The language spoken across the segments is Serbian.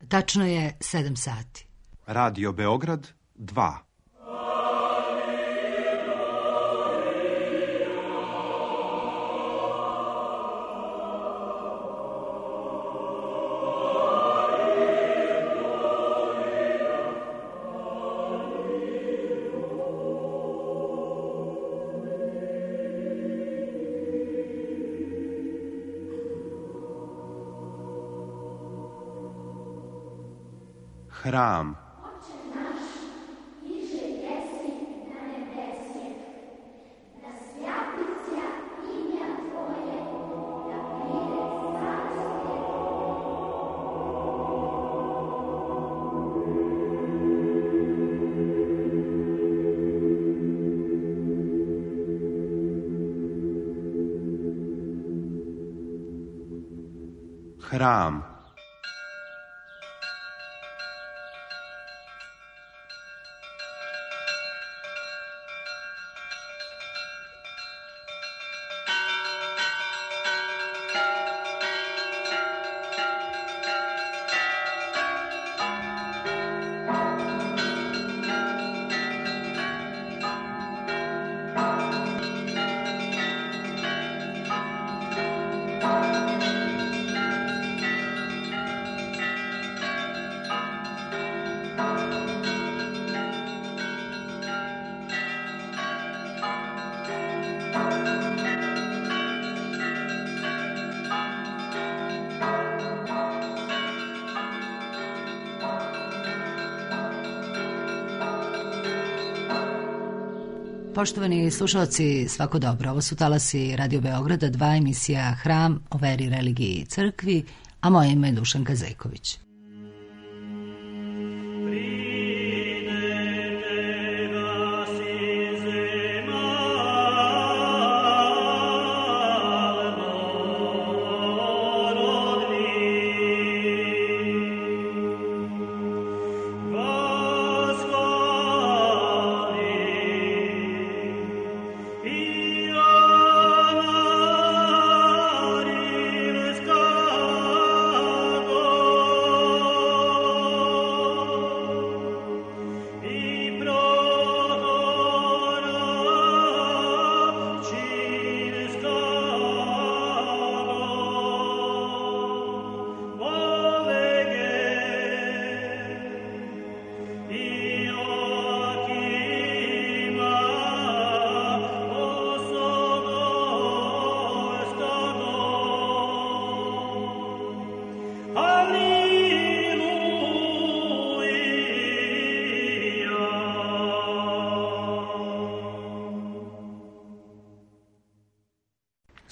Tačno je 7 sati. Radio Beograd 2. Hram. Hram. Poštovani slušalci, svako dobro. Ovo su talasi Radio Beograda 2, emisija Hram o veri, religiji i crkvi, a moje ime je Dušanka Zejković.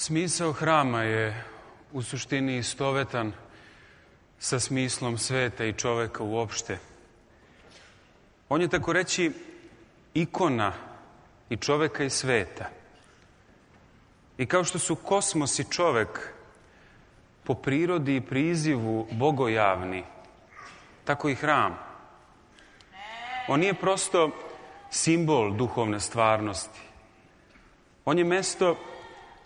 Smisao hrama je u suštini istovetan sa smislom sveta i čoveka uopšte. On je, tako reći, ikona i čoveka i sveta. I kao što su kosmos i čovek po prirodi i prizivu bogojavni, tako i hram. On nije prosto simbol duhovne stvarnosti. On je mesto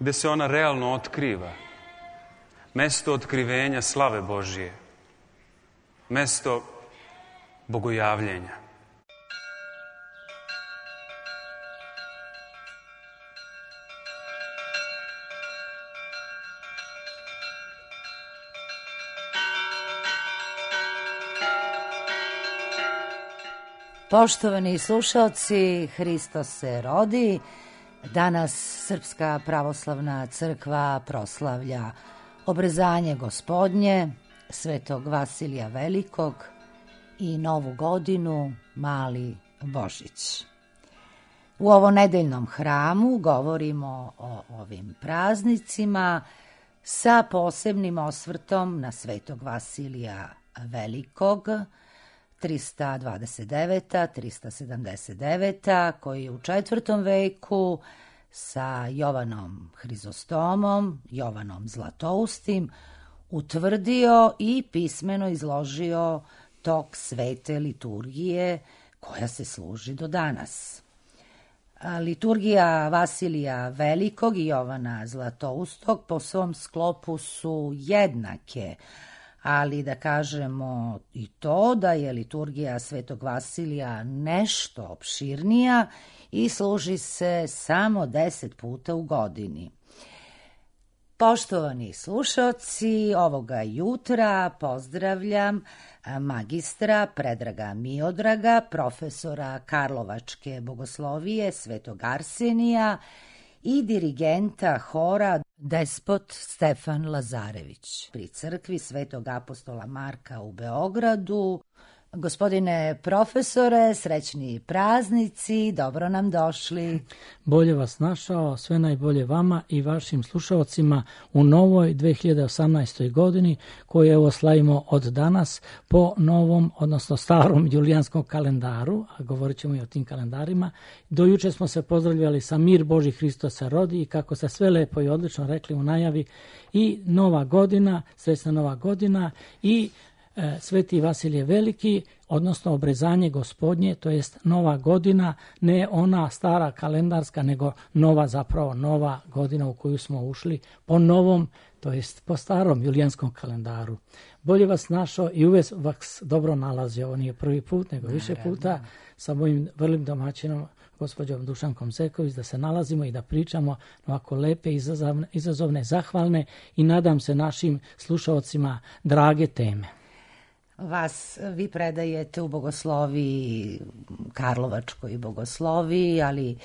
gde se ona realno otkriva. Mesto otkrivenja slave Božije. Mesto bogojavljenja. Poštovani slušalci, Hristos se rodi. Danas Srpska pravoslavna crkva proslavlja obrezanje Gospodnje, Svetog Vasilija Velikog i Novu godinu, Mali Božić. U ovom nedeljnom hramu govorimo o ovim praznicima sa posebnim osvrtom na Svetog Vasilija Velikog, 329. 379. koji je u 4. veku sa Jovanom Hrizostomom, Jovanom Zlatoustim, utvrdio i pismeno izložio tok svete liturgije koja se služi do danas. Liturgija Vasilija Velikog i Jovana Zlatoustog po svom sklopu su jednake, ali da kažemo i to da je liturgija Svetog Vasilija nešto opširnija i služi se samo 10 puta u godini. Poštovani slušaoci, ovoga jutra pozdravljam magistra Predraga Miodraga, profesora Karlovačke bogoslovije Svetog Arsenija i dirigenta hora Despot Stefan Lazarević pri crkvi Svetog apostola Marka u Beogradu. Gospodine profesore, srećni praznici, dobro nam došli. Bolje vas našao, sve najbolje vama i vašim slušalcima u novoj 2018. godini koju evo slavimo od danas po novom, odnosno starom julijanskom kalendaru, a govorit ćemo i o tim kalendarima. Do juče smo se pozdravljali sa mir Boži Hristos se rodi i kako ste sve lepo i odlično rekli u najavi i nova godina, srećna nova godina i Sveti Vasilije Veliki, odnosno obrezanje gospodnje, to jest nova godina, ne ona stara kalendarska, nego nova godina u koju smo ušli po novom, to jest po starom julijanskom kalendaru. Bolje vas našao i uvijek vas dobro nalazio, ovo nije prvi put, nego više puta sa mojim vrlim domaćinom, gospođom Dušankom Zeković, da se nalazimo i da pričamo ovako lepe, izazovne, zahvalne i nadam se našim slušalcima drage teme. Vi predajete u bogosloviji, Karlovačkoj bogosloviji, ali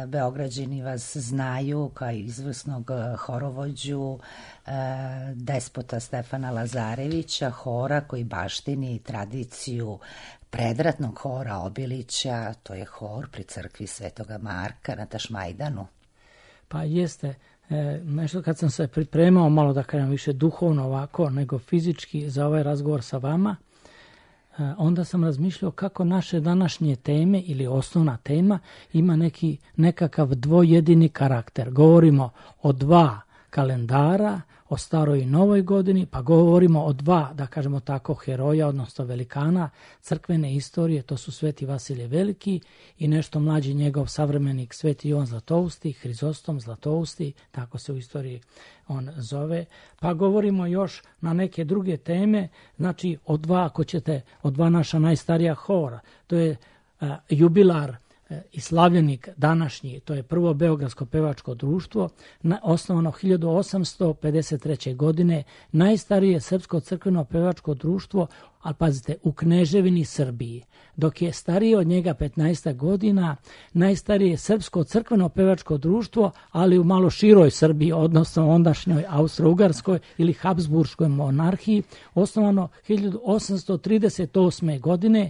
Beograđani vas znaju kao izvrsnog horovođu Despota Stefana Lazarevića, hora koji baštini tradiciju predratnog hora Obilića, to je hor pri crkvi Svetoga Marka na Tašmajdanu. Pa jeste. Nešto kad sam se pripremao malo da kažem više duhovno ovako nego fizički za ovaj razgovor sa vama, onda sam razmišljao kako naše današnje teme ili osnovna tema ima nekakav dvojedini karakter. Govorimo o dva kalendara, o staroj i novoj godini, pa govorimo o dva, da kažemo tako, heroja, odnosno velikana crkvene istorije, to su Sveti Vasilije Veliki i nešto mlađi njegov savremenik Sveti Jovan Zlatousti, Hrizostom Zlatousti, tako se u istoriji on zove. Pa govorimo još na neke druge teme, znači o dva naša najstarija hora, to je jubilar i slavljenik današnji, to je prvo Beogradsko pevačko društvo, osnovano 1853. godine, najstarije srpsko crkveno pevačko društvo, ali pazite, u Kneževini Srbiji, dok je starije od njega 15 godina, najstarije srpsko crkveno pevačko društvo, ali u malo široj Srbiji, odnosno ondašnjoj Austro-Ugarskoj ili Habsburškoj monarhiji, osnovano 1838. godine.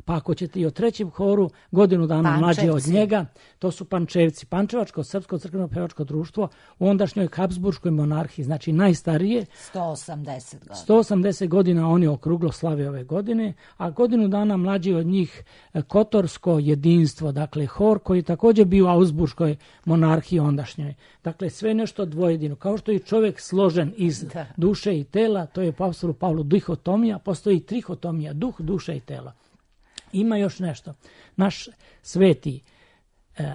Pa ako ćete i o trećem horu, godinu dana mlađe od njega, to su Pančevci, Pančevačko srpsko crkveno pevačko društvo u ondašnjoj Habsburškoj monarhiji, znači najstarije. 180 godina. 180 godina oni okruglo slave ove godine, a godinu dana mlađi od njih Kotorsko jedinstvo, dakle hor koji je također bio u Habsburškoj monarhiji ondašnjoj. Dakle, sve nešto dvojedino. Kao što je čovjek složen iz duše i tela, to je po apostolu Pavlu dihotomija, postoji trihotomija, duh, duša i tela. Ima još nešto. Naš sveti,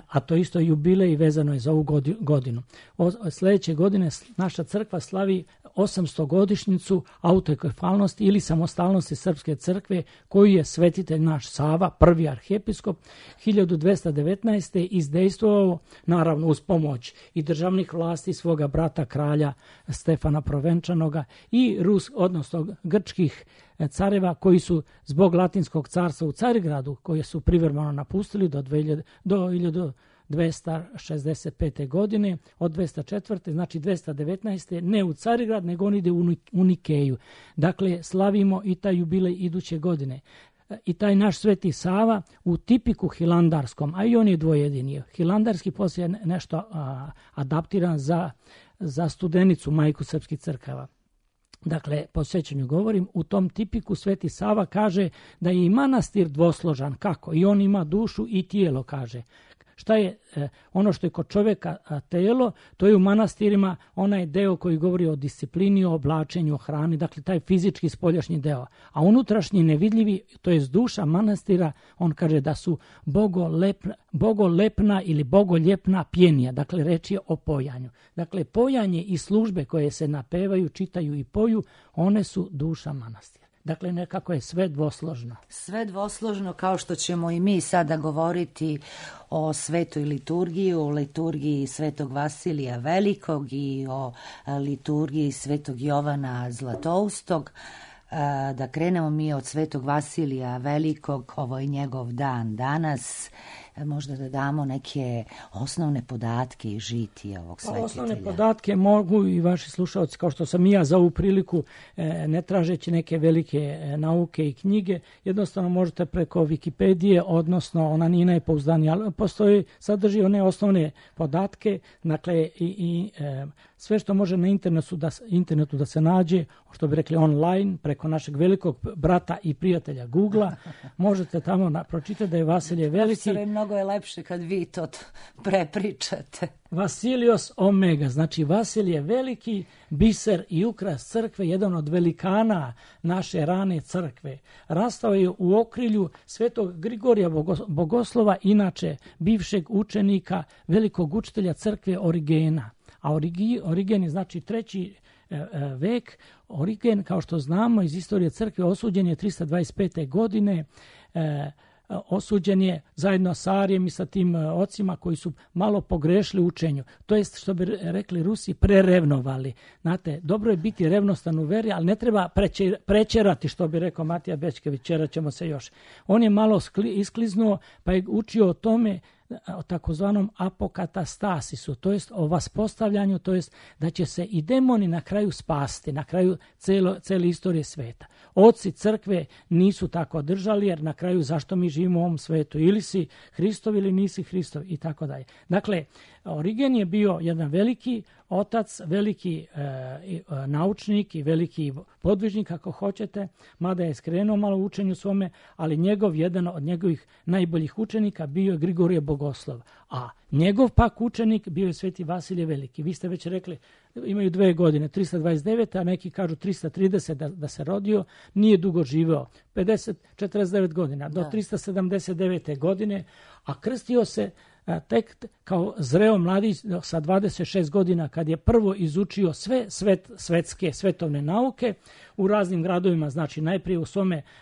a to isto jubilej vezano je za ovu godinu. Sljedeće godine naša crkva slavi 800 godišnjicu autokefalnosti ili samostalnosti Srpske crkve koju je svetitelj naš Sava, prvi arhijepiskop, 1219. izdejstvovao, naravno uz pomoć i državnih vlasti svoga brata kralja Stefana Provenčanoga i odnosno grčkih careva koji su zbog Latinskog carstva u Carigradu, koje su privremeno napustili do 1265. godine, od 204. znači 219. ne u Carigrad, nego on ide u Nikeju. Dakle, slavimo i taj jubilej iduće godine. I taj naš Sveti Sava u tipiku hilandarskom, a i on je dvojedini. Hilandarski poslije nešto adaptiran za Studenicu, majku srpskih crkava. Dakle, po sjećanju govorim, u tom tipiku Sveti Sava kaže da je i manastir dvosložan. Kako? I on ima dušu i tijelo, kaže. Šta je ono što je kod čovjeka telo, to je u manastirima onaj deo koji govori o disciplini, o oblačenju, o hrani, dakle taj fizički spoljašnji deo. A unutrašnji nevidljivi, to je duša manastira, on kaže da su bogolepna ili bogoljepna pjenija, dakle reč je o pojanju. Dakle, pojanje i službe koje se napevaju, čitaju i poju, one su duša manastira. Dakle, nekako je sve dvosložno. Sve dvosložno, kao što ćemo i mi sada govoriti o svetoj liturgiji, o liturgiji svetog Vasilija Velikog i o liturgiji svetog Jovana Zlatoustog. Da krenemo mi od svetog Vasilija Velikog, ovo je njegov dan danas, možda da damo neke osnovne podatke i žitije ovog svetitelja. Osnovne podatke mogu i vaši slušalci, kao što sam i ja za ovu priliku, ne tražeći neke velike nauke i knjige, jednostavno možete preko Wikipedije, odnosno ona nije najpouzdanija, ali sadrži one osnovne podatke, dakle i sve što može na internetu da se nađe, što bi rekli online, preko našeg velikog brata i prijatelja Googlea, možete tamo pročitati da je Vasilije Veliki. Mnogo je lepše kad vi to prepričate. Vasilios Omega, znači Vasilije Veliki, biser i ukras crkve, jedan od velikana naše rane crkve. Rastao je u okrilju svetog Grigorija Bogoslova, inače bivšeg učenika velikog učitelja crkve Origena. A Origen je znači 3. vek. Origen, kao što znamo iz istorije crkve, osuđen je 325. godine, osuđen je zajedno sa Arijem i sa tim ocima koji su malo pogrešili u učenju. To jest, što bi rekli Rusi, prerevnovali. Znate, dobro je biti revnostan u veri, ali ne treba prećerati, što bi rekao Matija Bečkević, čerat ćemo se još. On je malo iskliznuo, pa je učio o tome, o takozvanom apokatastasisu, to jest o vaspostavljanju, to jest da će se i demoni na kraju spasti, na kraju cele istorije sveta. Oci crkve nisu tako držali, jer na kraju zašto mi živimo u ovom svetu? Ili si Hristov ili nisi Hristov i tako dalje. Dakle, Origen je bio jedan veliki otac, veliki naučnik i veliki podvižnik, ako hoćete, mada je skrenuo malo u učenju svome, ali jedan od njegovih najboljih učenika bio je Grigorije Bogoslov. A njegov pak učenik bio je sveti Vasilije Veliki. Vi ste već rekli, imaju 2 godine, 329, a neki kažu 330 da se rodio, nije dugo živeo, 49 godina, do 379. godine, a krstio se tek kao zreo mladić sa 26 godina, kad je prvo izučio sve svetske svetovne nauke u raznim gradovima, znači najprije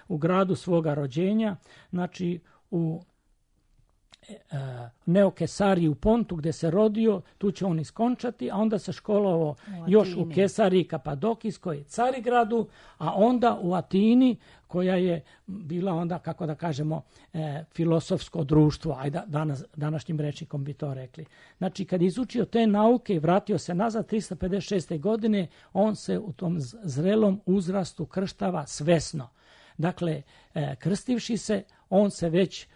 u gradu svoga rođenja, znači u Neokesariji u Pontu gde se rodio, tu će on iskončati, a onda se školovao još u Kesariji Kapadokijskoj, Carigradu, a onda u Atini, koja je bila onda, kako da kažemo, filosofsko društvo, ajde današnjim rečnikom bi to rekli. Znači, kad je izučio te nauke i vratio se nazad 356. godine, on se u tom zrelom uzrastu krštava svesno. Dakle, krstivši se, on se već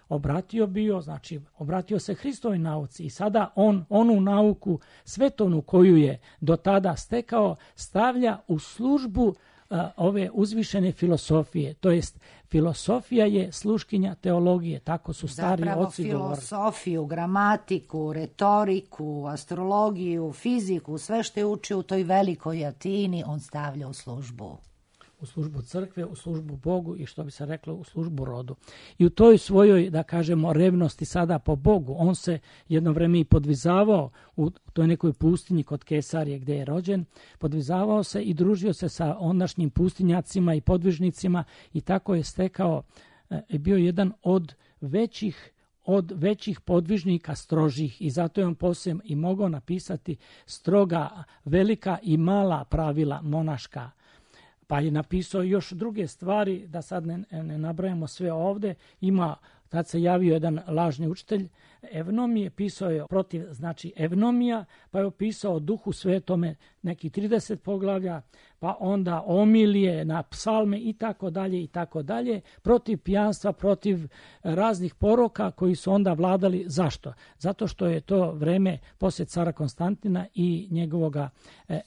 obratio se Hristovoj nauci i sada on onu nauku svetovnu koju je do tada stekao stavlja u službu ove uzvišene filosofije, to jest filosofija je sluškinja teologije, tako su stari oci govorili. Zapravo filosofiju, gramatiku, retoriku, astrologiju, fiziku, sve što je učio u toj velikoj Atini, on stavlja u službu. U službu crkve, u službu Bogu i što bi se reklo u službu rodu. I u toj svojoj, da kažemo, revnosti sada po Bogu, on se jedno vreme i podvizavao u toj nekoj pustinji kod Kesarije gdje je rođen, podvizavao se i družio se sa ondašnjim pustinjacima i podvižnicima i tako je stekao, bio jedan od većih podvižnika strožih i zato je on poslije i mogao napisati stroga, velika i mala pravila monaška. Pa je napisao još druge stvari, da sad ne nabrajamo sve ovdje. Tad se javio jedan lažni učitelj Evnomije, pisao je protiv, znači Evnomija, pa je opisao o Duhu Svetome neki 30 poglavlja, pa onda omilije na psalme i tako dalje, protiv pijanstva, protiv raznih poroka koji su onda vladali. Zašto? Zato što je to vreme poslije cara Konstantina i njegovoga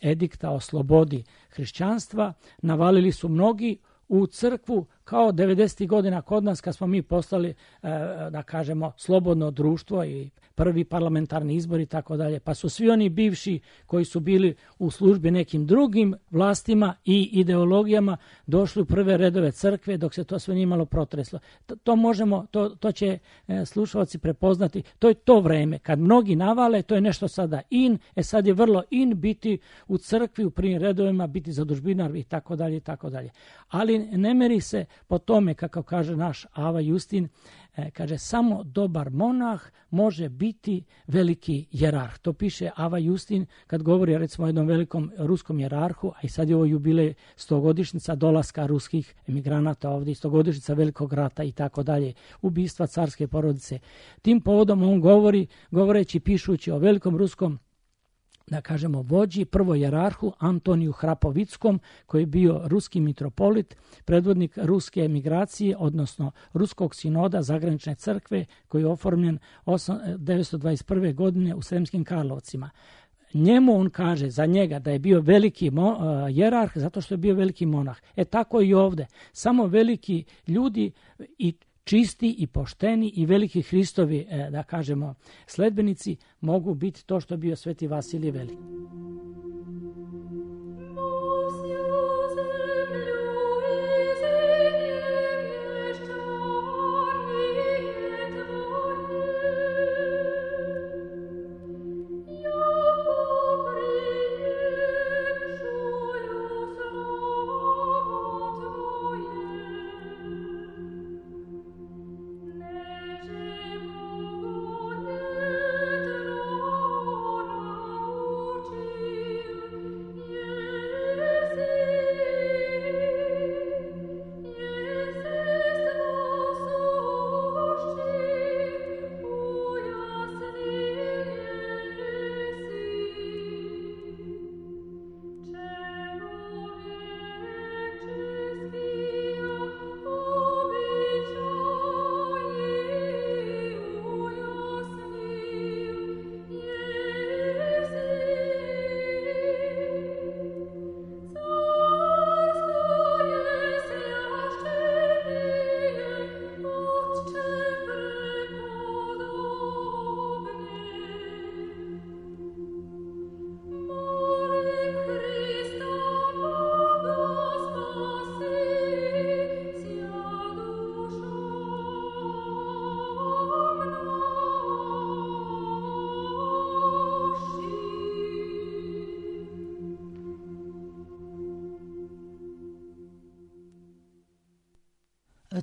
edikta o slobodi hrišćanstva. Navalili su mnogi u crkvu kao 90. godina kod nas kad smo mi postali, da kažemo, slobodno društvo i prvi parlamentarni izbori i tako dalje, pa su svi oni bivši koji su bili u službi nekim drugim vlastima i ideologijama došli u prve redove crkve dok se to sve nije malo protreslo. To će slušalci prepoznati. To je to vreme. Kad mnogi navale, to je nešto sada in, sad je vrlo in biti u crkvi, u prvim redovima, biti zadužbinar i tako dalje i tako dalje. Ali ne meri se po tome, kako kaže naš Ava Justin, kaže, samo dobar monah može biti veliki jerarh. To piše Ava Justin kad govori recimo o jednom velikom ruskom jerarhu, a i sad je ovo jubilej 100-godišnjica dolaska ruskih emigranata ovdje, 100-godišnjica velikog rata i tako dalje, ubistva carske porodice. Tim povodom on govoreći, pišući o velikom ruskom, da kažemo, vođi, prvo jerarhu Antoniju Hrapovickom, koji je bio ruski mitropolit, predvodnik ruske emigracije, odnosno ruskog sinoda zagranične crkve, koji je oformljen 1921. godine u Sremskim Karlovcima. Njemu on kaže za njega da je bio veliki jerarh zato što je bio veliki monah. Tako i ovdje. Samo veliki ljudi i čisti i pošteni i veliki Hristovi, da kažemo, sledbenici mogu biti to što je bio Sveti Vasilije Veliki.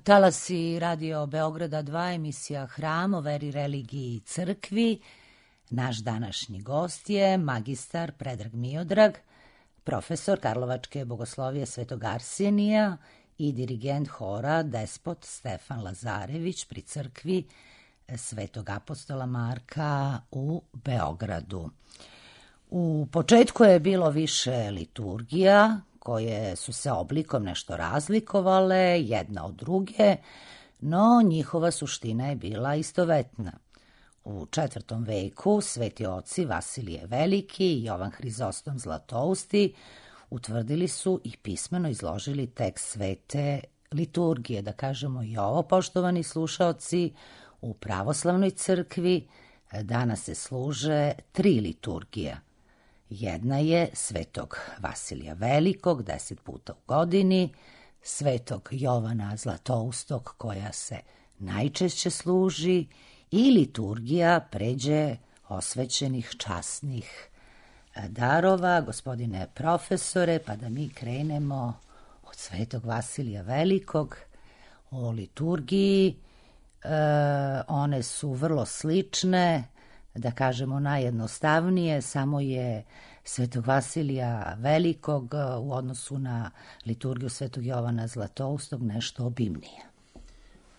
Talasi Radio Beograda 2, emisija Hram o veri, religiji i crkvi. Naš današnji gost je magistar Predrag Miodrag, profesor Karlovačke bogoslovije Svetog Arsenija i dirigent hora Despot Stefan Lazarević pri crkvi Svetog apostola Marka u Beogradu. U početku je bilo više liturgija koje su se oblikom nešto razlikovale jedna od druge, no njihova suština je bila istovetna. U 4. veku sveti oci Vasilije Veliki i Jovan Hrizostom Zlatousti utvrdili su i pismeno izložili tekst svete liturgije. Da kažemo i ovo, poštovani slušaoci, u pravoslavnoj crkvi danas se služe 3 liturgije. Jedna je svetog Vasilija Velikog 10 puta u godini, svetog Jovana Zlatoustog koja se najčešće služi i liturgija pređe osvećenih časnih darova. Gospodine profesore, pa da mi krenemo od svetog Vasilija Velikog o liturgiji. One su vrlo slične, da kažemo najjednostavnije, samo je svetog Vasilija Velikog u odnosu na liturgiju svetog Jovana Zlatoustog nešto obimnije.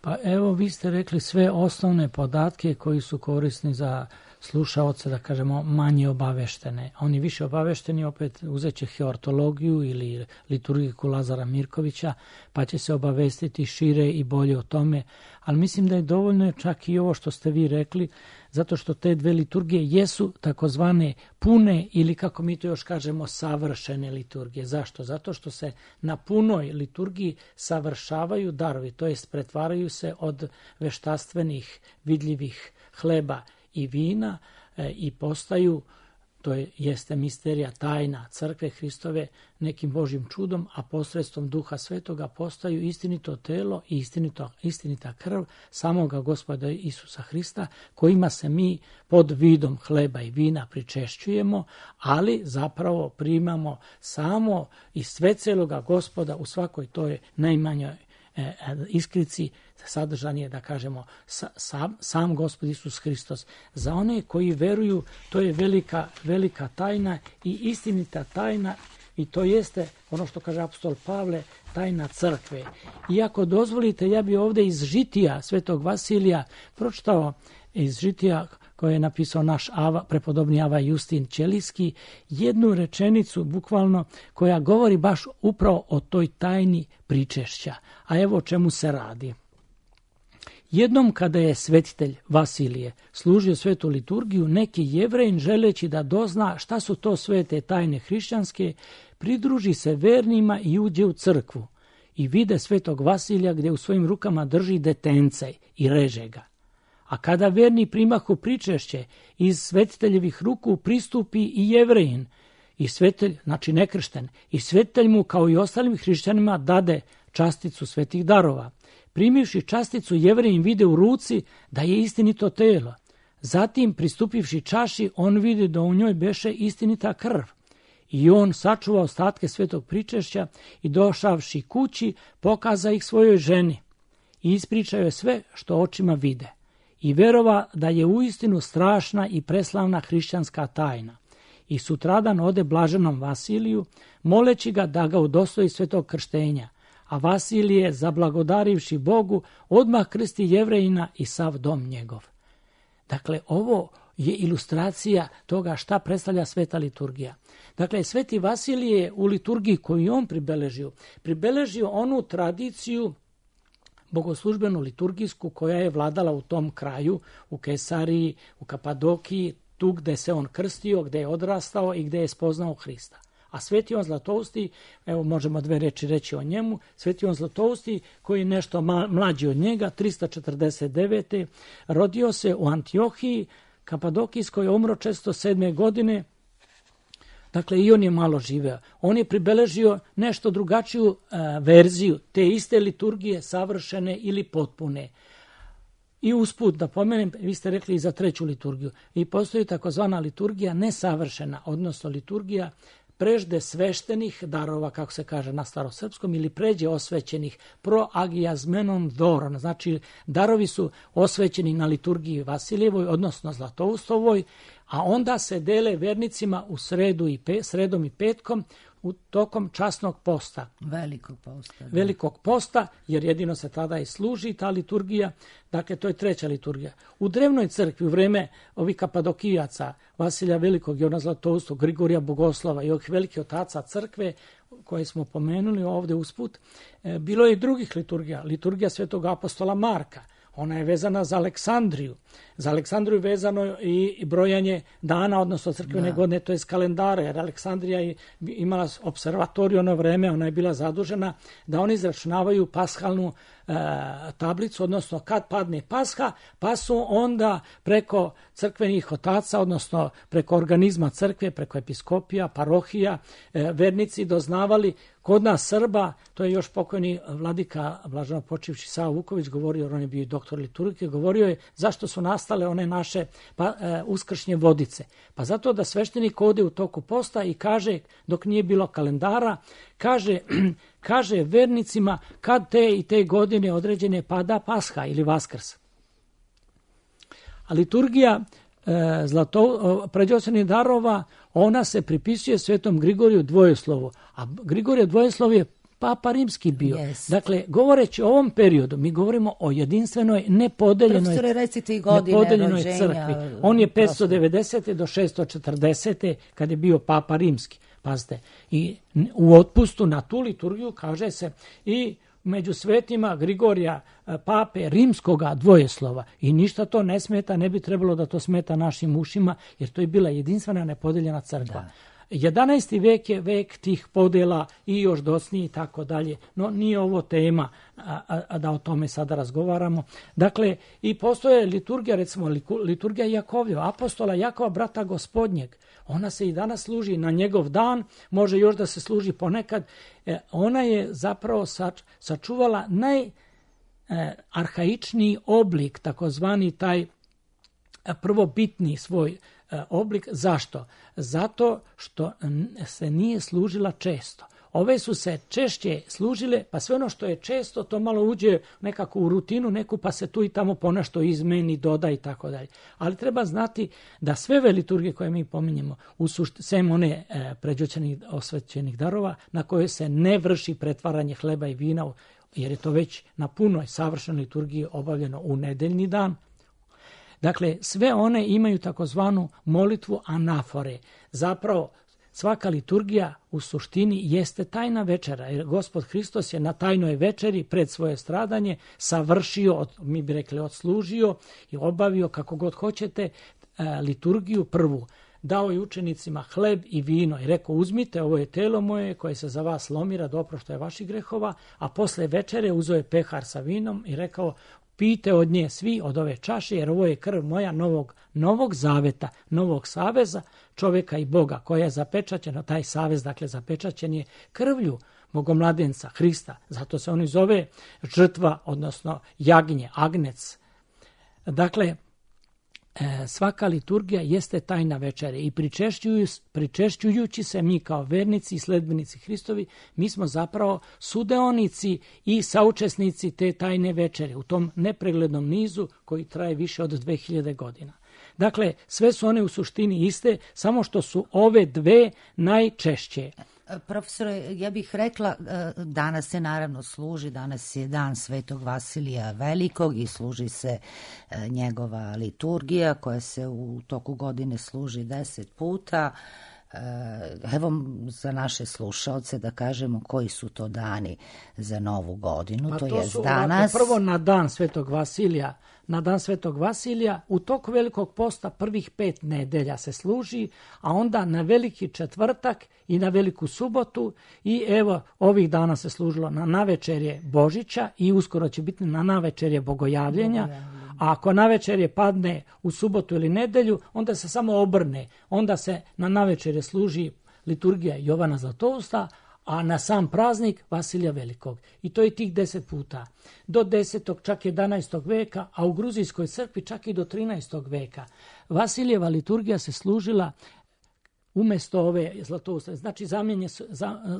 Pa evo, vi ste rekli sve osnovne podatke koji su korisni za slušaoce, da kažemo, manje obaveštene. Oni više obavešteni opet uzet će heortologiju ili liturgiku Lazara Mirkovića, pa će se obavestiti šire i bolje o tome. Ali mislim da je dovoljno čak i ovo što ste vi rekli, zato što te dve liturgije jesu takozvane pune ili, kako mi to još kažemo, savršene liturgije. Zašto? Zato što se na punoj liturgiji savršavaju darovi, to jest pretvaraju se od veštaštvenih vidljivih hleba i vina i postaju, to jeste misterija, tajna crkve Hristove, nekim Božjim čudom, a posredstvom Duha Svetoga postaju istinito telo i istinita krv samoga Gospoda Isusa Hrista, kojima se mi pod vidom hleba i vina pričešćujemo, ali zapravo primamo samo i sve celoga Gospoda u svakoj toj najmanjoj iskrici. Sadržan je, da kažemo, sam Gospod Isus Hristos. Za one koji veruju, to je velika tajna i istinita tajna, i to jeste ono što kaže apostol Pavle, tajna crkve. I ako dozvolite, ja bi ovdje iz žitija Svetog Vasilija pročitao, iz žitija koje je napisao naš prepodobni Ava Justin Ćelijski, jednu rečenicu bukvalno koja govori baš upravo o toj tajni pričešća. A evo o čemu se radi. Jednom kada je svetitelj Vasilije služio svetu liturgiju, neki Jevrejin, želeći da dozna šta su to svete tajne hrišćanske, pridruži se vernima i uđe u crkvu i vide svetog Vasilija gdje u svojim rukama drži detence i reže ga. A kada verni primahu pričešće, iz svetiteljevih ruku pristupi i Jevrejin, i svetitelj, znači nekršten, i svetitelj mu kao i ostalim hrišćanima dade časticu svetih darova. Primivši časticu, Jevrejin vide u ruci da je istinito telo. Zatim, pristupivši čaši, on vidi da u njoj beše istinita krv. I on sačuva ostatke svetog pričešća i došavši kući, pokaza ih svojoj ženi i ispričao je sve što očima vide. I verova da je uistinu strašna i preslavna hrišćanska tajna. I sutradan ode blaženom Vasiliju, moleći ga da ga udostoji svetog krštenja. A Vasilije, zablagodarivši Bogu, odmah krsti Jevrejina i sav dom njegov. Dakle, ovo je ilustracija toga šta predstavlja sveta liturgija. Dakle, sveti Vasilije u liturgiji koju on pribeležio onu tradiciju bogoslužbenu liturgijsku koja je vladala u tom kraju, u Kesariji, u Kapadokiji, tu gde se on krstio, gde je odrastao i gde je spoznao Hrista. A Sveti on Zlatousti, evo možemo dve reči reći o njemu, Sveti on Zlatousti koji je nešto mlađi od njega, 349. rodio se u Antiohiji, Kapadokijskoj, umro 407. godine. Dakle, i on je malo živeo. On je pribeležio nešto drugačiju verziju te iste liturgije, savršene ili potpune. I usput da pomenem, vi ste rekli i za treću liturgiju. I postoji takozvana liturgija nesavršena, odnosno liturgija prežde sveštenih darova, kako se kaže na starosrpskom, ili pređe osvećenih proagiazmenon doron. Znači, darovi su osvećeni na liturgiji Vasilijevoj, odnosno Zlatoustovoj, a onda se dele vernicima u sredom i petkom u tokom časnog posta. Velikog posta, jer jedino se tada i služi ta liturgija. Dakle, to je treća liturgija. U drevnoj crkvi, u vreme ovih Kapadokijaca, Vasilija Velikog, Jovana Zlatoustog, Grigorija Bogoslova i ovih velikih otaca crkve, koje smo pomenuli ovdje usput, bilo je i drugih liturgija. Liturgija svetog apostola Marka, ona je vezana za Aleksandriju. Za Aleksandriju je vezano i brojanje dana, odnosno crkvene godine, to je kalendare, jer Aleksandrija je imala observatoriju ono vreme, ona je bila zadužena da oni izračunavaju pashalnu tablicu, odnosno kad padne Pasha, pa su onda preko crkvenih otaca, odnosno preko organizma crkve, preko episkopija, parohija, vernici doznavali. Kod nas Srba, to je još pokojni vladika blaženo počivši Sava Vuković govorio, on je bio doktor liturgije, govorio je zašto su nastale one naše uskršnje vodice. Pa zato da sveštenik ode u toku posta i kaže, dok nije bilo kalendara, kaže vernicima kad te i te godine određene pada Pasha ili Vaskrs. A liturgija pređosenih darova, ona se pripisuje svetom Grigoriju Dvojoslovu. A Grigorije Dvojeslov je Papa Rimski bio. Yes. Dakle, govoreći o ovom periodu, mi govorimo o jedinstvenoj, nepodeljenoj crkvi. On je 590. do 640. kad je bio Papa Rimski. Pazite, i u otpustu na tu liturgiju kaže se i među svetima Grigorija, pape rimskoga dvojeslova, i ništa to ne smeta, ne bi trebalo da to smeta našim ušima, jer to je bila jedinstvena nepodeljena crkva. Da. 11. vek je vek tih podela i još docniji i tako dalje, no nije ovo tema da o tome sada razgovaramo. Dakle, i postoje liturgija, recimo liturgija Jakovljeva, apostola Jakova, brata gospodnjeg. Ona se i danas služi na njegov dan, može još da se služi ponekad. Ona je zapravo sačuvala najarhaičniji oblik, takozvani taj prvobitni svoj oblik. Zašto? Zato što se nije služila često. Ove su se češće služile, pa sve ono što je često, to malo uđe nekako u rutinu neku, pa se tu i tamo ponešto izmeni, doda i tako dalje. Ali treba znati da sve ove liturgije koje mi pominjemo, sem one pređoćenih osvećenih darova, na koje se ne vrši pretvaranje hleba i vina, jer je to već na punoj savršenoj liturgiji obavljeno u nedeljni dan. Dakle, sve one imaju takozvanu molitvu anafore. Zapravo, svaka liturgija u suštini jeste tajna večera, jer Gospod Hristos je na tajnoj večeri pred svoje stradanje savršio, mi bi rekli odslužio i obavio, kako god hoćete, liturgiju prvu. Dao je učenicima hleb i vino i rekao, uzmite, ovo je telo moje koje se za vas lomira do oproštaja vaših grehova, a posle večere uzeo je pehar sa vinom i rekao, pijte od nje svi, od ove čaše, jer ovo je krv moja novog zaveta, novog saveza čovjeka i Boga, koja je zapečaćena, taj savez, dakle, zapečaćen je krvlju Bogomladenca Hrista. Zato se on i zove žrtva, odnosno jagnje, agnec. Dakle, svaka liturgija jeste tajna večere i pričešćujući se mi kao vernici i sledbenici Hristovi, mi smo zapravo sudeonici i saučesnici te tajne večere u tom nepreglednom nizu koji traje više od 2000 godina. Dakle, sve su one u suštini iste, samo što su ove dve najčešće. Profesore, ja bih rekla, danas se naravno služi, danas je dan Svetog Vasilija Velikog i služi se njegova liturgija koja se u toku godine služi 10 puta. Evo za naše slušaoce da kažemo koji su to dani za Novu godinu. Pa to je danas. Prvo na dan Svetog Vasilija. Na dan Svetog Vasilija u toku Velikog posta prvih 5 nedelja se služi, a onda na Veliki četvrtak i na Veliku subotu i evo ovih dana se služilo na navečerje Božića i uskoro će biti na navečerje Bogojavljenja. A ako navečerje padne u subotu ili nedelju, onda se samo obrne. Onda se na navečerje služi liturgija Jovana Zlatousta, a na sam praznik Vasilija Velikog. I to je tih 10 puta. Do 10. čak 11. veka, a u Gruzijskoj crkvi čak i do 13. veka. Vasilijeva liturgija se služila umjesto ove Zlatousta. Znači,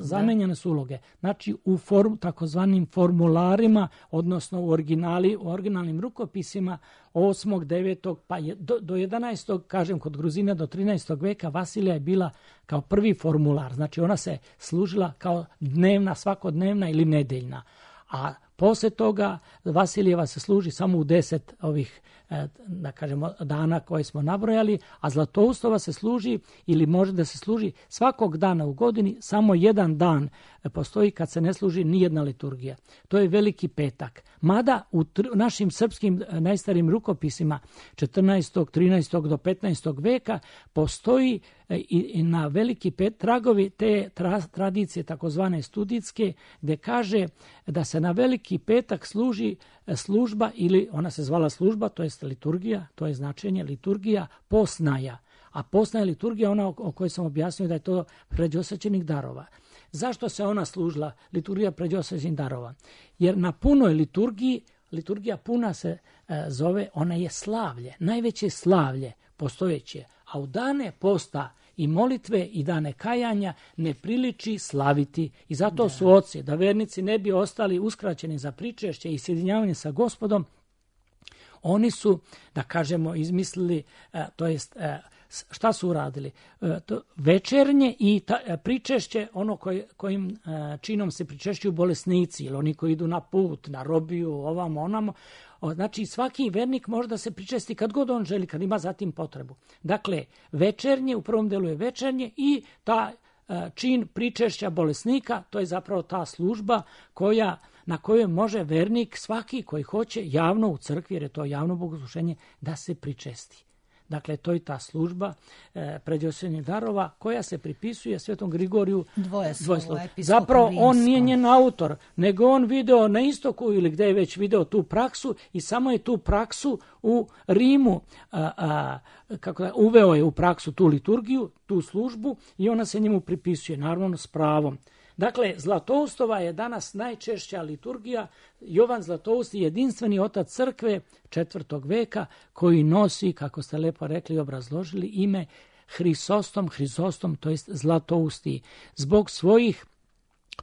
zamenjene su uloge. Znači, u takozvanim formularima, odnosno u originalnim rukopisima 8., 9., pa do 11. kažem kod Gruzina do 13. veka Vasilija je bila kao prvi formular. Znači, ona se služila kao dnevna, svakodnevna ili nedeljna. A poslije toga Vasilijeva se služi samo u 10 ovih da kažemo dana koje smo nabrojali, a Zlatoustova se služi ili može da se služi svakog dana u godini, samo jedan dan postoji kad se ne služi nijedna liturgija. To je Veliki petak. Mada u našim srpskim najstarijim rukopisima 14., 13. do 15. veka postoji i na Veliki petak tragovi te tradicije takozvane studijske, gde kaže da se na Veliki petak služi služba, ili ona se zvala služba, to je liturgija, to je značenje liturgija posnaja. A posna je liturgija ona o kojoj sam objasnio da je to pređosvećenih darova. Zašto se ona služila, liturgija pređosvećenih darova? Jer na punoj liturgiji, liturgija puna se zove, ona je slavlje, najveće slavlje postojeće. A u dane posta i molitve i dane kajanja ne priliči slaviti. I zato su oci, da vernici ne bi ostali uskraćeni za pričešće i sjedinjavanje sa Gospodom, oni su, da kažemo, izmislili, to jest šta su uradili? Večernje i pričešće, ono kojim činom se pričešćuju bolesnici, ili oni koji idu na put, na robiju, ovamo, onamo. Znači, svaki vernik može da se pričesti kad god on želi, kad ima zatim potrebu. Dakle, večernje, u prvom delu je večernje i ta čin pričešća bolesnika, to je zapravo ta služba na kojoj može vernik, svaki koji hoće, javno u crkvi, jer je to javno bogosluženje, da se pričesti. Dakle, to je ta služba predjosvenih darova koja se pripisuje Svetom Grigoriju Dvojslovu. Zapravo, on nije njen autor, nego on video na istoku ili gde je već video tu praksu i samo je tu praksu u Rimu, uveo je u praksu tu liturgiju, tu službu i ona se njemu pripisuje, naravno s pravom. Dakle, Zlatoustova je danas najčešća liturgija. Jovan Zlatoust je jedinstveni otac crkve 4. veka koji nosi, kako ste lepo rekli i obrazložili, ime Hrisostom, to jest Zlatousti. Zbog svojih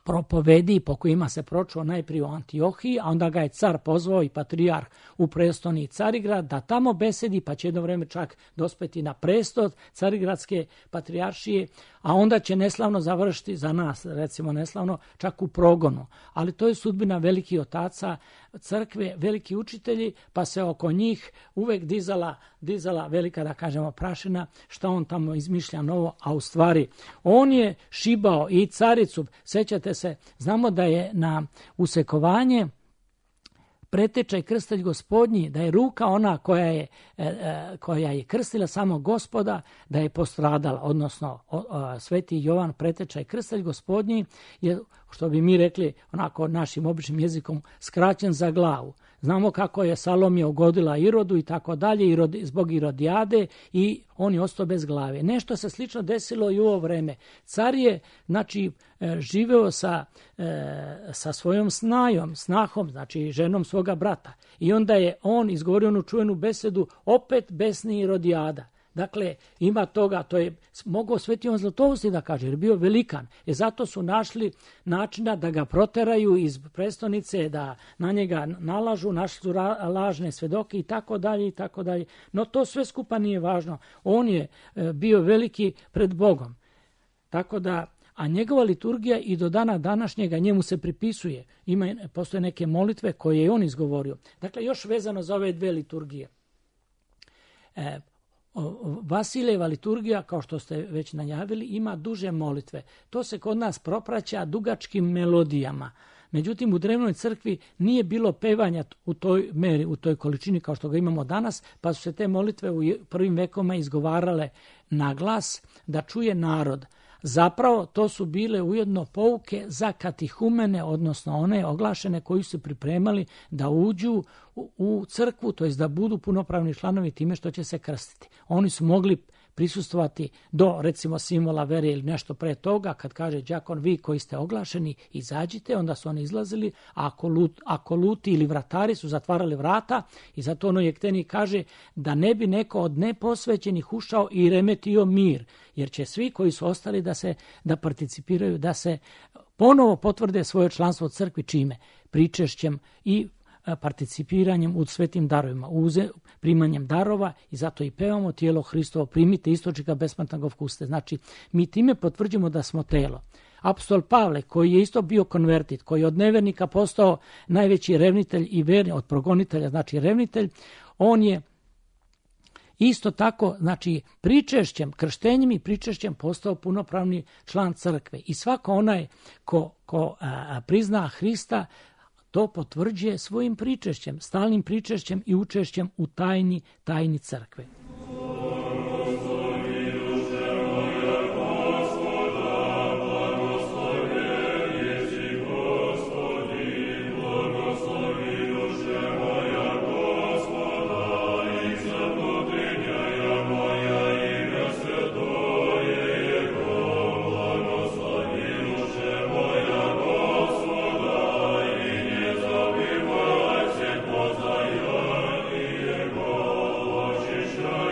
propovedi po kojima se pročuo najprije u Antiohiji, a onda ga je car pozvao i patrijarh u prestoni Carigrad da tamo besedi, pa će jedno vreme čak dospeti na prestol Carigradske patrijaršije, a onda će neslavno završiti za nas, recimo neslavno, čak u progonu. Ali to je sudbina velikih otaca crkve, veliki učitelji, pa se oko njih uvek dizala velika, da kažemo, prašina, šta on tamo izmišlja novo, a u stvari on je šibao i caricu. Sećate se, znamo da je na usekovanje pretečaj krstelj Gospodnji, da je ruka ona koja je krstila samo Gospoda, da je postradala, odnosno Sveti Jovan pretečaj krstelj Gospodnji je, što bi mi rekli onako našim običnim jezikom, skraćen za glavu. Znamo kako je Salomija ugodila Irodu i tako dalje, zbog Irodijade, i on je ostao bez glave. Nešto se slično desilo i u ovo vreme. Car je, znači, živeo sa svojom snahom, znači ženom svoga brata. I onda je on izgovorio onu čuvenu besedu, opet besni Irodijada. Dakle, ima toga, to je mogao Sveti Jovan Zlatoust da kaže, jer je bio velikan. I zato su našli načina da ga proteraju iz prestonice, da na njega nalažu, našli su lažne svedoke i tako dalje, i tako dalje. No to sve skupa nije važno. On je bio veliki pred Bogom. Tako da, a njegova liturgija i do dana današnjega njemu se pripisuje. Postoje neke molitve koje je on izgovorio. Dakle, još vezano za ove dve liturgije. Vasilijeva liturgija, kao što ste već najavili, ima duže molitve. To se kod nas propraća dugačkim melodijama. Međutim, u drevnoj crkvi nije bilo pevanja u toj meri, u toj količini kao što ga imamo danas, pa su se te molitve u prvim vekovima izgovarale na glas da čuje narod. Zapravo, to su bile ujedno pouke za katihumene, odnosno one oglašene koji su pripremali da uđu u crkvu, to jest da budu punopravni članovi time što će se krstiti. Oni su mogli prisustvovati do, recimo, simbola vere ili nešto pre toga, kad kaže đakon, vi koji ste oglašeni, izađite, onda su oni izlazili, a ako luti ili vratari su zatvarali vrata, i zato ono Jekteni kaže da ne bi neko od neposvećenih ušao i remetio mir, jer će svi koji su ostali da participiraju, da se ponovo potvrde svoje članstvo u crkvi, čime? Pričešćem i participiranjem u svetim darovima, primanjem darova, i zato i pevamo tijelo Hristovo, primite istočnika besplatnog kuste. Znači, mi time potvrđujemo da smo telo. Apostol Pavle, koji je isto bio konvertit, koji je od nevernika postao najveći revnitelj i verni, od progonitelja, znači revnitelj, on je isto tako, znači, pričešćem, krštenjem i pričešćem postao punopravni član crkve. I svako onaj ko prizna Hrista, to potvrđuje svojim pričešćem, stalnim pričešćem i učešćem u tajni crkve. Sure.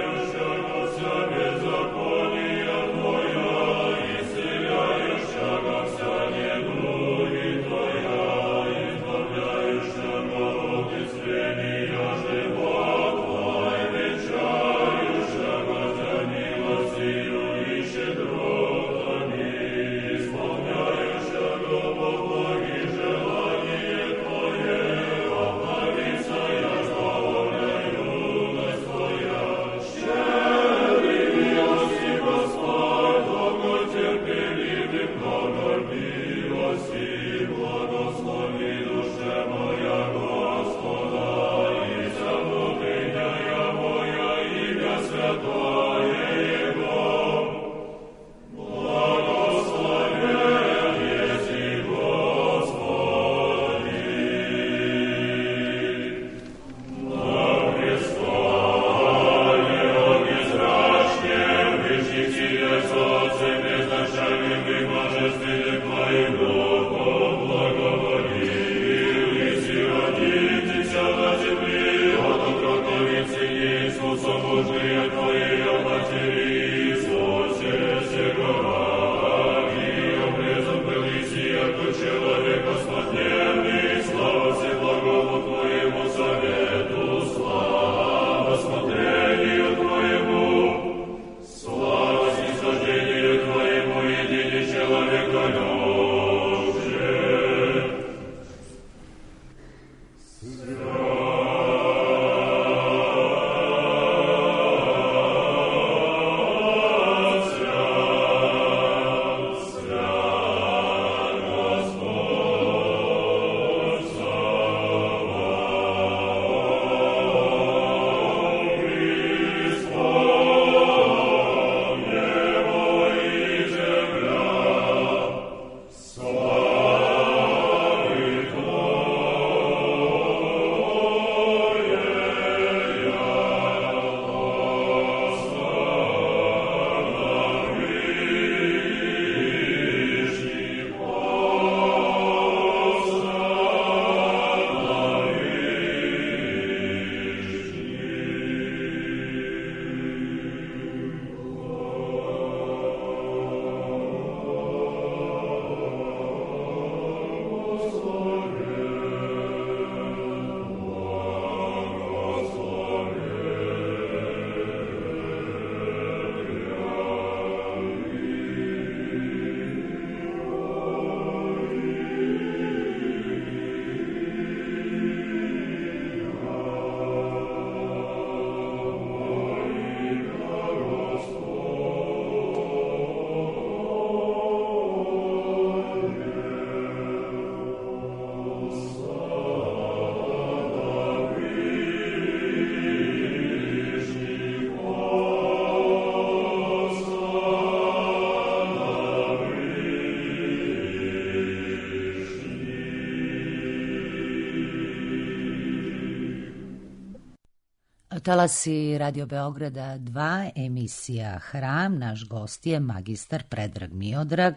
Talasi Radio Beograda 2, emisija Hram. Naš gost je magistar Predrag Miodrag,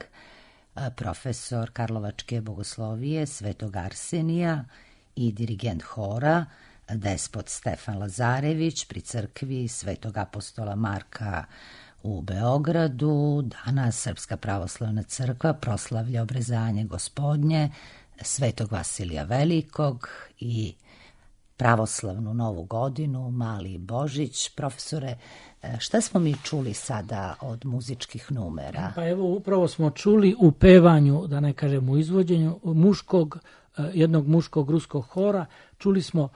profesor Karlovačke bogoslovije Svetog Arsenija i dirigent hora, despot Stefan Lazarević pri crkvi Svetog apostola Marka u Beogradu. Danas Srpska pravoslavna crkva proslavlja obrezanje Gospodnje, Svetog Vasilija Velikog i pravoslavnu Novu godinu, Mali Božić. Profesore, šta smo mi čuli sada od muzičkih numera? Pa evo, upravo smo čuli u pevanju, da ne kažem u izvođenju, jednog muškog ruskog hora, čuli smo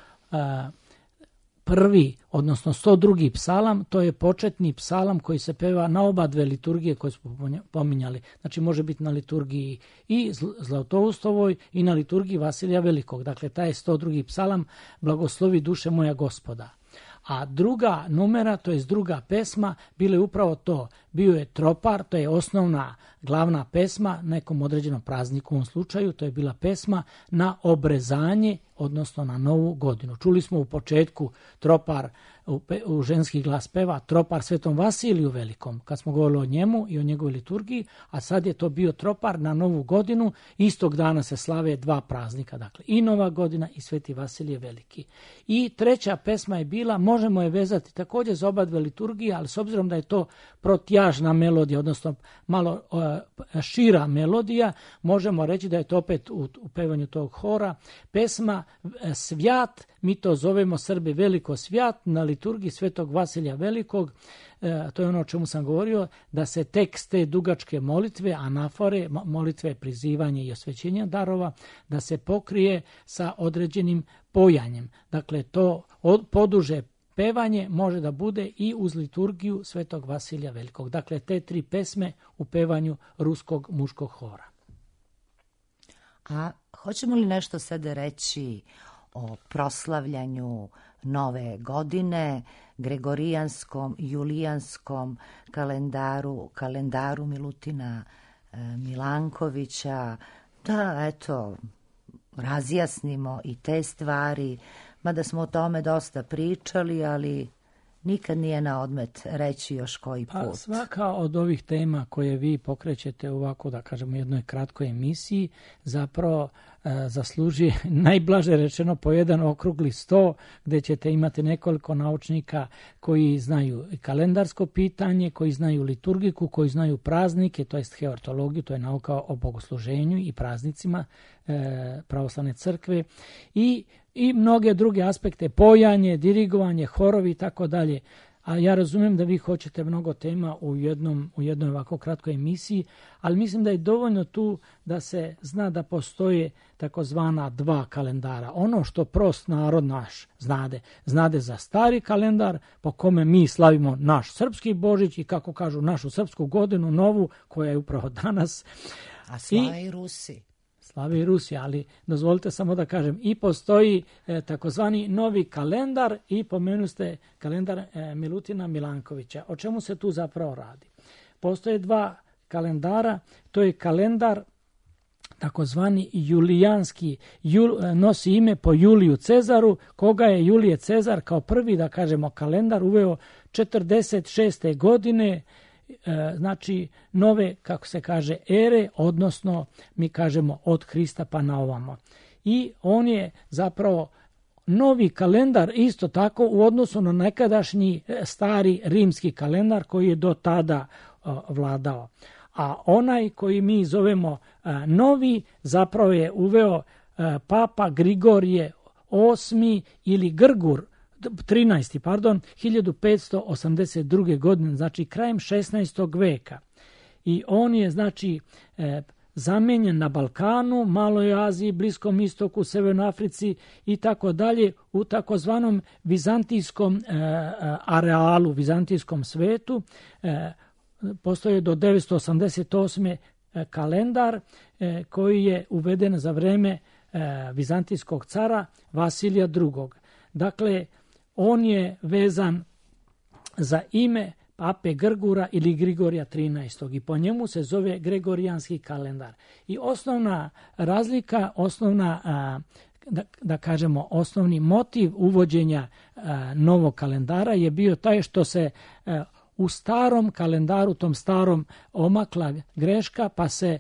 prvi, odnosno 102. psalam, to je početni psalam koji se peva na oba dve liturgije koje smo pominjali. Znači može biti na liturgiji i Zlatoustovoj i na liturgiji Vasilija Velikog. Dakle, taj je 102. psalam, Blagoslovi duše moja Gospoda. A druga numera, to je druga pesma, bilo je upravo to. Bio je tropar, to je osnovna glavna pesma, nekom određenom prazniku u ovom slučaju, to je bila pesma na obrezanje, odnosno na Novu godinu. Čuli smo u početku tropar, u ženski glas peva, tropar Svetom Vasiliju Velikom, kad smo govorili o njemu i o njegovoj liturgiji, a sad je to bio tropar na Novu godinu. Istog dana se slave dva praznika, dakle i Nova godina i Sveti Vasilije Veliki. I treća pesma je bila, možemo je vezati također za oba dve liturgije, ali s obzirom da je to protjažna melodija, odnosno malo šira melodija, možemo reći da je to opet u pevanju tog hora pesma Svjat, mi to zovemo Srbi veliko svjat, na liturgiji Svetog Vasilija Velikog. To je ono o čemu sam govorio, da se tekst te dugačke molitve, anafore, molitve prizivanja i osvećenja darova, da se pokrije sa određenim pojanjem. Dakle, to poduže pevanje može da bude i uz liturgiju Svetog Vasilija Velikog. Dakle, te tri pesme u pevanju ruskog muškog hora. A hoćemo li nešto sada reći o proslavljanju Nove godine, gregorijanskom, julijanskom kalendaru Milutina Milankovića, da, eto, razjasnimo i te stvari, mada smo o tome dosta pričali, ali nikad nije na odmet reći još koji put. Pa svaka od ovih tema koje vi pokrećete ovako, da kažemo, jednoj kratkoj emisiji, zapravo zasluži, najblaže rečeno, po jedan okrugli sto, gdje ćete imati nekoliko naučnika koji znaju kalendarsko pitanje, koji znaju liturgiku, koji znaju praznike, to jest heortologiju, to je nauka o bogosluženju i praznicima pravoslavne crkve, i mnoge druge aspekte, pojanje, dirigovanje, horovi i tako dalje. A ja razumijem da vi hoćete mnogo tema u jednoj ovako kratkoj emisiji, ali mislim da je dovoljno tu da se zna da postoje takozvana dva kalendara. Ono što prost narod naš znade za stari kalendar po kome mi slavimo naš srpski Božić i kako kažu našu srpsku godinu novu koja je upravo danas. A slave i Rusi. Slave i Rusi, ali dozvolite samo da kažem, i postoji takozvani novi kalendar i pomenu ste kalendar Milutina Milankovića. O čemu se tu zapravo radi? Postoje dva kalendara, to je kalendar takozvani julijanski, nosi ime po Juliju Cezaru, koga je Julije Cezar kao prvi, da kažemo, kalendar uveo 46. godine, znači nove, kako se kaže, ere, odnosno mi kažemo od Hrista pa na ovamo. I on je zapravo novi kalendar isto tako u odnosu na nekadašnji stari rimski kalendar koji je do tada vladao. A onaj koji mi zovemo novi zapravo je uveo Papa Grigorije VIII ili Grgur 13. 1582. godine, znači krajem 16. veka. I on je, znači, zamenjen na Balkanu, Maloj Aziji, Bliskom istoku, Severnoj Africi i tako dalje u takozvanom vizantijskom arealu, vizantijskom svetu. Postoje do 988. kalendar koji je uveden za vreme vizantijskog cara Vasilija II. Dakle, on je vezan za ime Pape Grgura ili Grigorija 13. i po njemu se zove Gregorijanski kalendar. I osnovna razlika, da kažemo, osnovni motiv uvođenja novog kalendara je bio taj što se u starom kalendaru, tom starom, omakla greška, pa se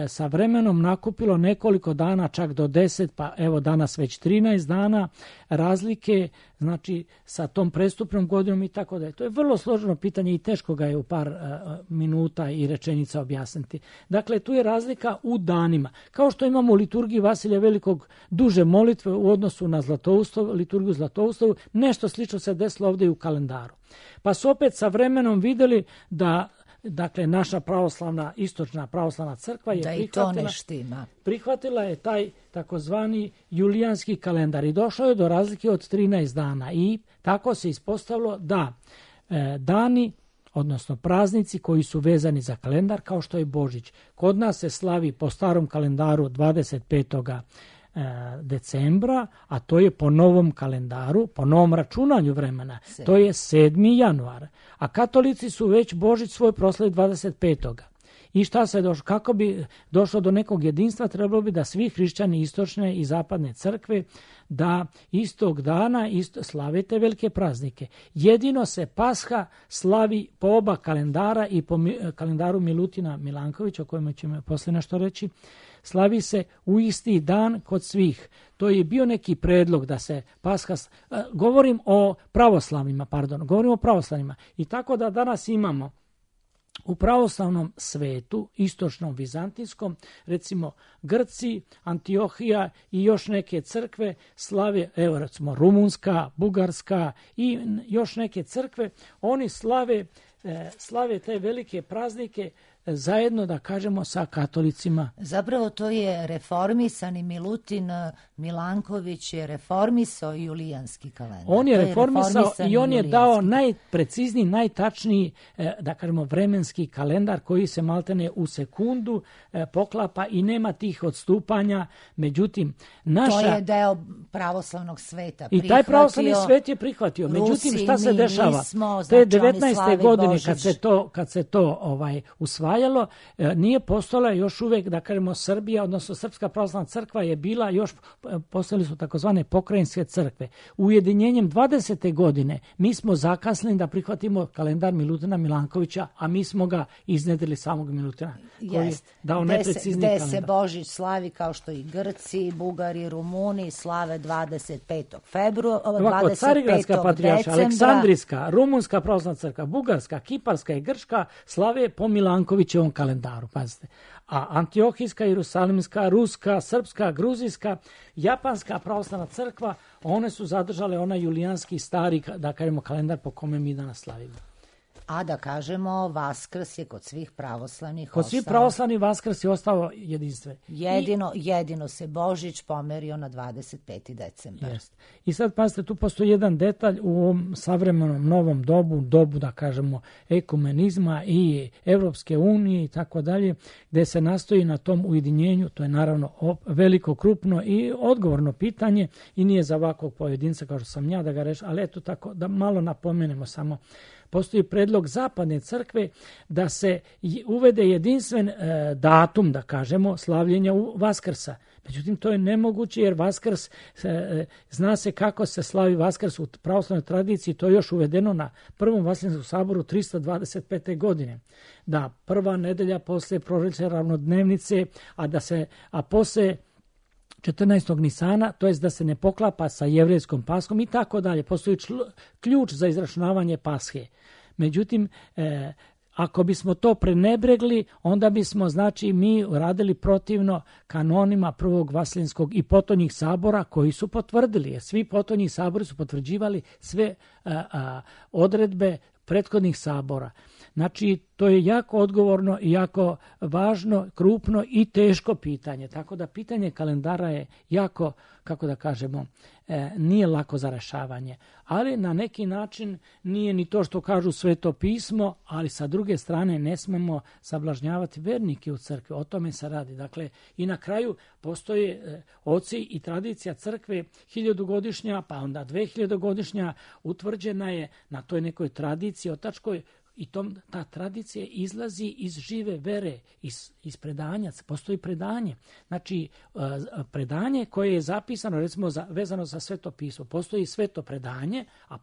sa vremenom nakupilo nekoliko dana, čak do 10, pa evo danas već 13 dana razlike, znači sa tom prestupnom godinom i tako dalje. To je vrlo složeno pitanje i teško ga je u par minuta i rečenica objasniti. Dakle, tu je razlika u danima. Kao što imamo u liturgiji Vasilija Velikog duže molitve u odnosu na liturgiju Zlatoustavu, nešto slično se desilo ovdje i u kalendaru. Pa su opet sa vremenom vidjeli da, dakle, naša pravoslavna, istočna pravoslavna crkva je prihvatila je taj takozvani julijanski kalendar i došlo je do razlike od 13 dana i tako se ispostavilo da dani, odnosno praznici koji su vezani za kalendar, kao što je Božić, kod nas se slavi po starom kalendaru 25. decembra, a to je po novom kalendaru, po novom računanju vremena, to je 7. januar. A katolici su već Božić svoj proslavi 25. I šta se došlo? Kako bi došlo do nekog jedinstva, trebalo bi da svi hrišćani istočne i zapadne crkve da istog dana slave te velike praznike. Jedino se Pasha slavi po oba kalendara i po kalendaru Milutina Milankovića, o kojem ćemo poslije nešto reći, slavi se u isti dan kod svih. To je bio neki predlog da se Pasha... Govorim o pravoslavnima. I tako da danas imamo u pravoslavnom svetu, istočnom vizantijskom, recimo Grci, Antiohija i još neke crkve slave, evo recimo Rumunska, Bugarska i još neke crkve, oni slave te velike praznike zajedno, da kažemo, sa katolicima. Zapravo to je reformisani Milutin Milanković je reformisao julijanski kalendar. On je reformisao i on je dao najprecizniji, najtačniji, da kažemo, vremenski kalendar koji se maltene u sekundu poklapa i nema tih odstupanja. Međutim, to je deo pravoslavnog sveta. I taj pravoslavni svet je prihvatio. Međutim, šta se dešava? Te 19. godine kad se to usvajalo, nije postala još uvijek, da kažemo, Srbija, odnosno Srpska pravoslavna crkva je bila još, postali su takozvane pokrajinske crkve. Ujedinjenjem 20. godine mi smo zakasnili da prihvatimo kalendar Milutina Milankovića, a mi smo ga iznedrili samog Milutina, koji je dao neprecizni kalendar. Gde se Božić slavi, kao što i Grci, Bugari, Rumuni slave 25. februara, 25. Carigradska patrijarša, decembra. Aleksandrijska, Rumunska pravoslavna crkva, Bugarska, Kiparska i Grčka slave po Milankoviću će u ovom kalendaru, pazite. A Antiohijska, Jerusalimska, Ruska, Srpska, Gruzijska, Japanska pravoslavna crkva, one su zadržale onaj julijanski stari, da kažemo, kalendar po kome mi danas slavimo. A da kažemo, Vaskrs je kod svih pravoslavnih Kod svih pravoslavnih Vaskrs je ostao jedinstven. Jedino se Božić pomerio na 25. decembar. Jest. I sad, pazite, tu postoji jedan detalj u ovom savremenom novom dobu, da kažemo, ekumenizma i Evropske unije i tako dalje, gde se nastoji na tom ujedinjenju. To je naravno veliko, krupno i odgovorno pitanje i nije za ovakvog pojedinca kao što sam ja da ga rešim, ali eto tako, da malo napomenemo samo. Postoji predlog zapadne crkve da se uvede jedinstven datum, da kažemo, slavljenja Vaskrsa. Međutim, to je nemoguće jer Vaskrs, zna se kako se slavi Vaskrs u pravoslavnoj tradiciji, to je još uvedeno na Prvom Vasilinskom saboru 325. godine. Da, prva nedelja posle proročje ravnodnevnice, a posle 14. Nisana, to jest da se ne poklapa sa jevrejskom Paskom i tako dalje. Postoji ključ za izračunavanje Pashe. Međutim, ako bismo to prenebregli, onda bismo, znači, mi radili protivno kanonima Prvog Vasilinskog i potonjih sabora koji su potvrdili, jer svi potonji sabori su potvrđivali sve odredbe prethodnih sabora. Znači, to je jako odgovorno i jako važno, krupno i teško pitanje. Tako da pitanje kalendara je jako, kako da kažemo, nije lako za rešavanje. Ali na neki način nije ni to što kažu Sveto pismo, ali sa druge strane ne smemo sablažnjavati vernike u crkvi. O tome se radi. Dakle, i na kraju postoje oci i tradicija crkve 1000-godišnja, pa onda 2000-godišnja, utvrđena je na toj nekoj tradiciji otačkoj. I ta tradicija izlazi iz žive vere, iz predanja. Postoji predanje. Znači, predanje koje je zapisano, recimo, vezano za Sveto pismo. Postoji sveto predanje, a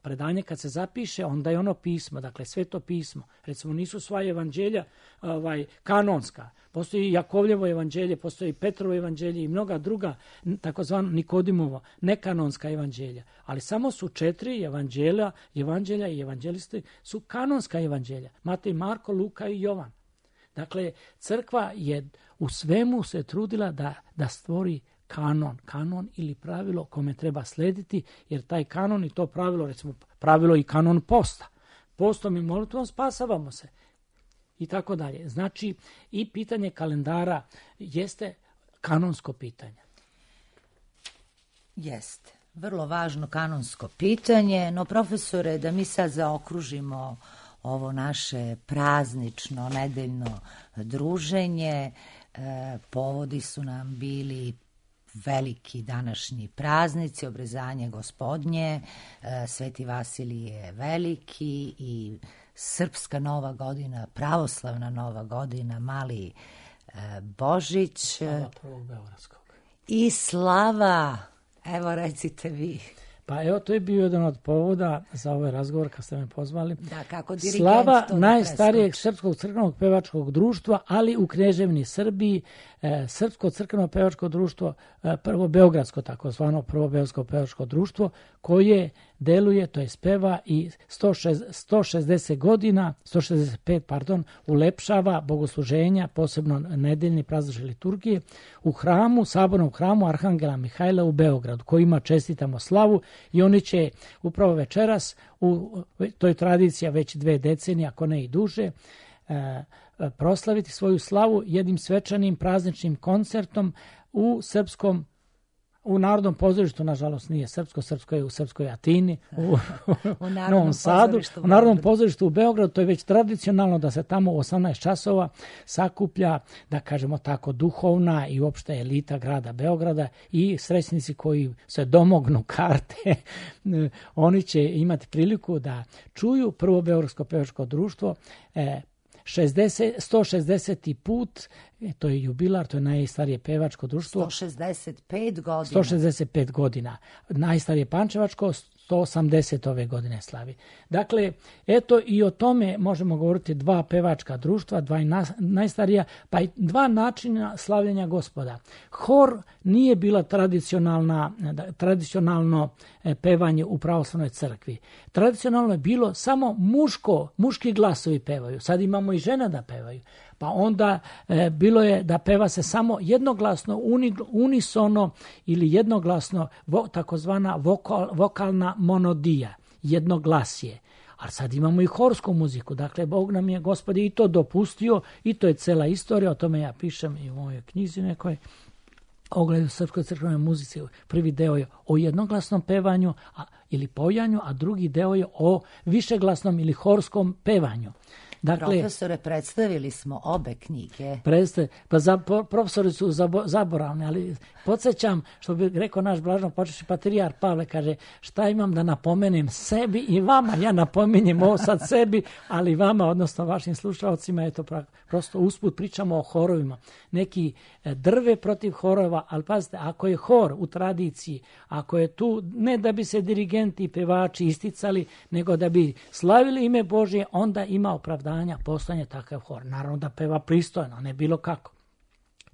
predanje kad se zapiše, onda je ono pismo, dakle, Sveto pismo. Recimo, nisu sva evanđelja kanonska. Postoji Jakovljevo evanđelje, postoji Petrovo evanđelje i mnoga druga, takozvano Nikodimovo, nekanonska evanđelja. Ali samo su 4 evanđelja i evanđelisti su kanonska evanđelja. Matej, Marko, Luka i Jovan. Dakle, crkva je u svemu se trudila da stvori kanon ili pravilo kome treba slediti, jer taj kanon i to pravilo, recimo pravilo i kanon posta. Postom i molitvom spasavamo se. I tako dalje. Znači, i pitanje kalendara jeste kanonsko pitanje. Jeste. Vrlo važno kanonsko pitanje, no profesore, da mi sad zaokružimo ovo naše praznično, nedeljno druženje, povodi su nam bili veliki današnji praznici, obrezanje Gospodnje, Sveti Vasilije Veliki i Srpska Nova godina, pravoslavna Nova godina, Mali Božić. Slava Prvog Beogradskog. I slava, evo recite vi. Pa evo, to je bio jedan od povoda za ovaj razgovor kad ste me pozvali. Da, kako dirigent slava to najstarijeg srpskog crkvenog pevačkog društva, ali u Kneževini Srbiji, Srpsko crkveno pevačko društvo, prvo beogradsko, takozvano prvo beogradsko pevačko društvo, koje deluje, to je speva i 165 ulepšava bogosluženja, posebno nedeljni praznične liturgije, u hramu, sabornom hramu Arhangela Mihajla u Beogradu, kojima čestitamo slavu i oni će upravo večeras, to je tradicija već 2 decenije, ako ne i duže, proslaviti svoju slavu jednim svečanim prazničnim koncertom u Narodnom pozorištu, nažalost nije srpsko je u Srpskoj Atini, u Novom Sadu, u Narodnom pozorištu u Beogradu. To je već tradicionalno da se tamo u 18 časova sakuplja, da kažemo tako, duhovna i uopšte elita grada Beograda i srećnici koji se domognu karte, oni će imati priliku da čuju prvo Beogradsko pevačko društvo 160. put, to je jubilar, to je najstarije pevačko društvo. 165 godina. 165 godina. Najstarije pančevačko, 180 ove godine slavi. Dakle, eto i o tome možemo govoriti dva pevačka društva, dva najstarija, pa i dva načina slavljenja Gospoda. Hor nije bila tradicionalno pevanje u pravoslavnoj crkvi. Tradicionalno je bilo samo muški glasovi pevaju. Sad imamo i žene da pevaju. Pa onda bilo je da peva se samo jednoglasno, unisono ili jednoglasno, takozvana vokalna monodija, jednoglasje. Ali sad imamo i horsku muziku, dakle Bog nam je, Gospod, i to dopustio, i to je cela istorija, o tome ja pišem i u mojoj knjizi nekoj, Ogled u srpskoj crkvenoj muzici. Prvi deo je o jednoglasnom pevanju ili pojanju, a drugi deo je o višeglasnom ili horskom pevanju. Dakle, profesore, predstavili smo obe knjige. Profesori su zaboravni, ali podsjećam, što bi rekao naš blaženopočivši patrijarh Pavle, kaže, šta imam da napomenem sebi i vama. Ja napominjem ovo sad sebi, ali vama, odnosno vašim slušalcima, je to prosto usput pričamo o horovima. Neki drve protiv horova, ali pazite, ako je hor u tradiciji, ako je tu ne da bi se dirigenti i pevači isticali, nego da bi slavili ime Božje, onda ima opravdanja postojanje takav hor. Naravno da peva pristojno, ne bilo kako.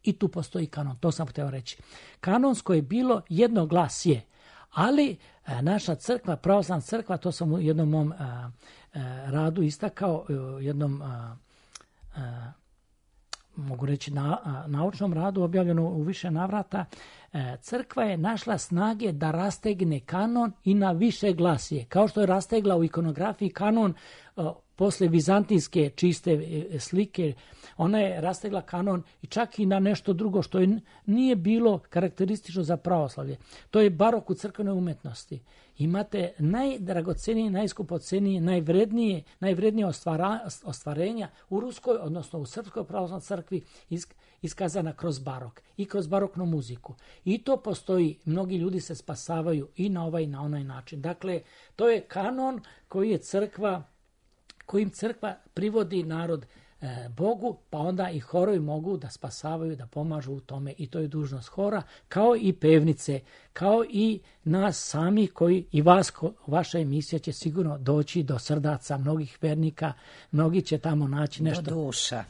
I tu postoji kanon, to sam htio reći. Kanonsko je bilo jednoglasje, ali naša crkva, pravoslavna crkva, to sam u jednom mom radu istakao, jednom mogu reći naučnom radu objavljeno u više navrata, crkva je našla snage da rastegne kanon i na više glasije. Kao što je rastegla u ikonografiji kanon posle vizantijske čiste slike, ona je rastegla kanon i čak i na nešto drugo što nije bilo karakteristično za pravoslavlje. To je barok u crkvenoj umetnosti. Imate najdragocenije, najskupocenije, najvrednije ostvarenja u ruskoj, odnosno u srpskoj pravoslavnoj crkvi iskazana kroz barok i kroz baroknu muziku. I to postoji, mnogi ljudi se spasavaju i na ovaj i na onaj način. Dakle, to je kanon kojim crkva privodi narod Bogu, pa onda i horovi mogu da spasavaju, da pomažu u tome, i to je dužnost hora, kao i pevnice, kao i nas sami koji i vas, vaša emisija će sigurno doći do srdaca mnogih vernika, mnogi će tamo naći nešto.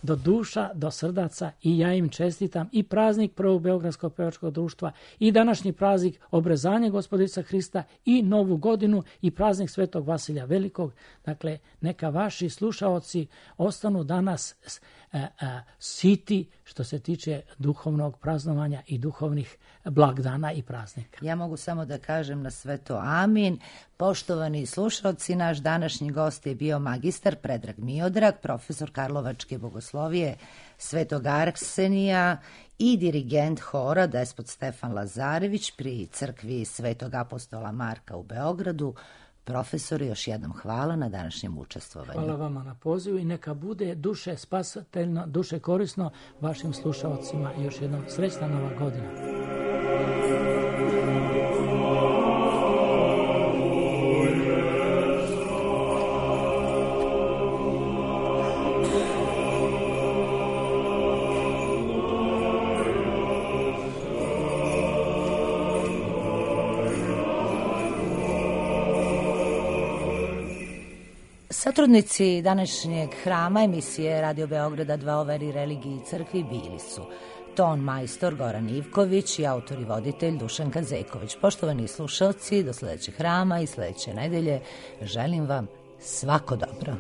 Do duša, do srdaca, i ja im čestitam i praznik Prvog Beogradskog pevačkog društva i današnji praznik Obrezanje Gospoda Isusa Hrista i Novu godinu i praznik Svetog Vasilja Velikog. Dakle, neka vaši slušaoci ostanu danas siti što se tiče duhovnog praznovanja i duhovnih blagdana i praznika. Ja mogu samo da kažem na sve to amin. Poštovani slušalci, naš današnji gost je bio magistar Predrag Miodrag, profesor Karlovačke bogoslovije Svetog Arsenija i dirigent hora Despot Stefan Lazarević pri crkvi Svetog apostola Marka u Beogradu. Profesor, još jednom hvala na današnjem učestvovanju. Hvala vama na pozivu i neka bude duše spasateljno, duše korisno vašim slušalcima. Još jednom srećna Nova godina. Satrudnici današnjeg hrama emisije Radio Beograda 2 o veri, religiji i crkvi bili su ton majstor Goran Ivković i autor i voditelj Dušan Kazeković. Poštovani slušalci, do sledećeg hrama i sledeće nedelje želim vam svako dobro.